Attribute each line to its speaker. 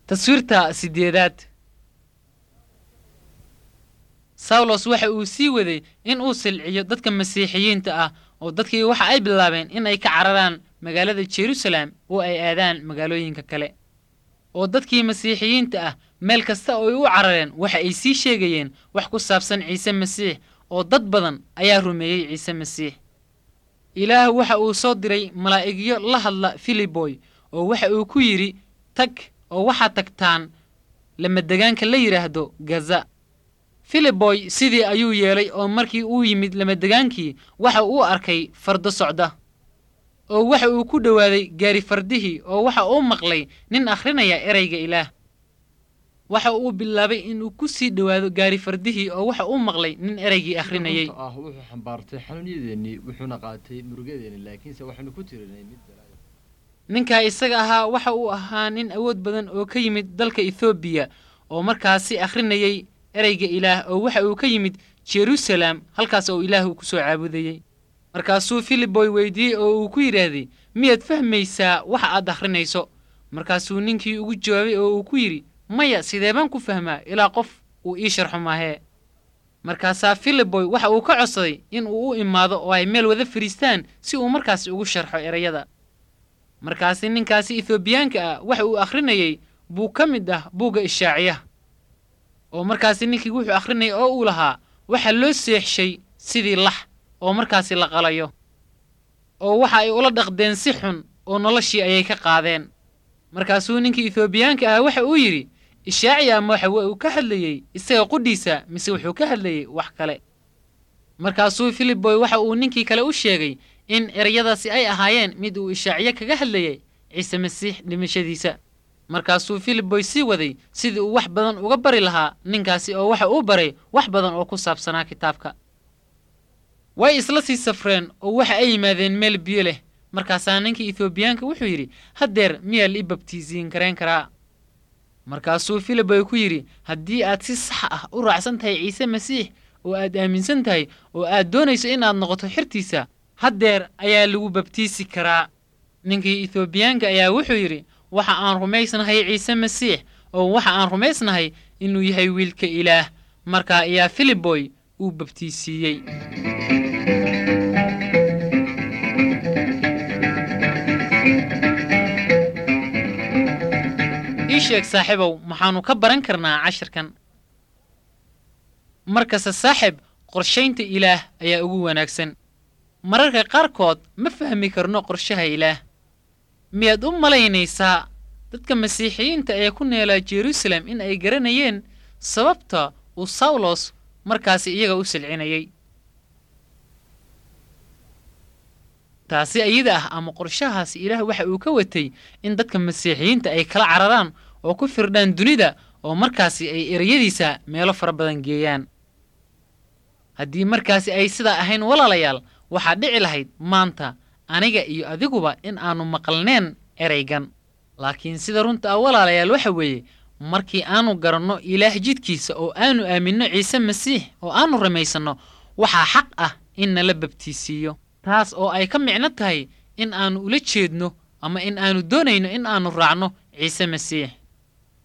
Speaker 1: Taswiirta sideedaad. Sawlos waxa uu sii waday in uu silciyo dadka Masiixiyiinta ah, oo dadkii waxa ay bilaabeen in ay ka cararaan magaalada Jerusalem oo ay aadaan magaalooyinka kale. Oo dadkii Masiixiyiinta ah meel kasta oo ay u carareen waxa ay sii sheegayeen wax ku saabsan Ciise Masiix, oo dad badan ayaa rumeeyey Ciise Masiix. Ilaah waxa uu soo diray malaa'igyo la hadla Filiboy, oo waxa uu ku yidhi, tag oo waxaad tagtaan lamadegaanka la yidhaahdo Gaza. Filiboy sidii ayuu yeelay, oo markii uu yimid lamadegaankii waxa uu arkay fardo socda, oo waxa uu ku dhowaaday gaari fardihii, oo waxa uu maqlay nin akhrinaya ereyga Ilaah. Waxa uu bilaabay inuu ku sii dhowaado gaari fardihii, oo waxa uu maqlay nin ereygii akhrinayay.
Speaker 2: Runta ah wuxuu xambaartay xanuunyadeennii, wuxuuna qaatay murugadeennii, laakiinse waxaynu ku tirinay mid balaayo.
Speaker 1: Ninkaa isaga ahaa waxa uu ahaa nin awood badan oo ka yimid dalka Ethoobiya, oo markaasi akhrinayay ereyga Ilaah, oo waxa uu ka yimid Jerusalem, halkaas oo Ilaah uu ku soo caabudayey. Markaasuu Filiboy weydiiyey oo uu ku yidhaahday, miyaad fahmaysaa waxa aad akhrinayso? Markaasuu ninkii ugu jawaabay oo uu ku yidhi, maya, sidee baan ku fahmaa ilaa qof uu ii sharxo maahee? Markaasaa Filiboy waxa uu ka codsaday in uu u imaado oo ay meel wada fadhiistaan si uu markaasi ugu sharxo ereyada. Markaasi ninkaasi Ethoobiyaanka ah waxa uu akhrinayey buu ka mid ah buugga Ishaaciyaha, oo markaasi ninkii wuxuu akhrinayay oo uu lahaa, waxa loo seexshay sidii lax oo markaasi la qalayo, oo waxa ay ula dhaqdeen si xun, oo noloshii ayay ka qaadeen. Markaasuu ninkii Ethoobiyaanka ah waxa uu yidhi, Ishaaciya ma waxa uu ka hadlayey isaga qudhiisa mise wuxuu ka hadlayey wax kale? Markaasuu Filiboy waxa uu ninkii kale u sheegay in ereyadaasi ay ahaayeen mid uu Ishaaciye kaga hadlayay Ciise Masiix dhimashadiisa. Markaasuu Filiboy sii waday sidii uu wax badan uga bari lahaa ninkaasi, oo waxa uu baray wax badan oo ku saabsanaa kitaabka. Way isla sii safreen oo waxa ay yimaadeen meel biyo leh. Markaasaa ninkii Ethoobiyaanka wuxuu yidhi, haddeer miyaa la i babtiisiin karayn karaa? Markaasuu Filiboy ku yidhi, haddii aad si sax ah u raacsan tahay Ciise Masiix, oo aad aaminsan tahay, oo aad doonayso inaad noqoto xertiisa, haddeer ayaa lagu babtiisi karaa. Ninkii Ethoobiyaanka ayaa wuxuu yidhi, waxa aan rumaysnahay Ciise Masiix, oo waxa aan rumaysnahay inuu yahay wiilka Ilaah. Markaa ayaa Filiboy uu babtiisiiyey. Ii sheeg saaxiibow, maxaannu ka baran karnaa cashirkan? Markasta saaxiib, qorshaynta Ilaah ayaa ugu wanaagsan. Mararka qaarkood ma fahmi karno qorshaha Ilaah. Miyaad u malaynaysaa dadka Masiixiyiinta ee ku neelaa Jerusalem in ay garanayeen sababta uu Sawlos markaasi iyaga u silcinayay? Taasi iyada ah ama qorshahaasi Ilaah waxa uu ka watay in dadka Masiixiyiinta ay kala cararaan oo ku firdhaan dunida, oo markaasi ay ereyadiisa meelo fara badan geeyaan. Haddii markaasi ay sidaa ahayn, walaalayaal, waxaa dhici lahayd maanta aniga iyo adiguba in aanu maqalneen ereygan. Laakiin sida runta ah, walaalayaal, waxa weeye markii aanu garanno Ilaah jidkiisa oo aanu aaminno Ciise Masiix oo aanu rumaysanno, waxaa xaq ah in nala babtiisiiyo, taas oo ay ka micno tahay in aanu ula jeedno ama in aanu doonayno in aanu raacno Ciise Masiix.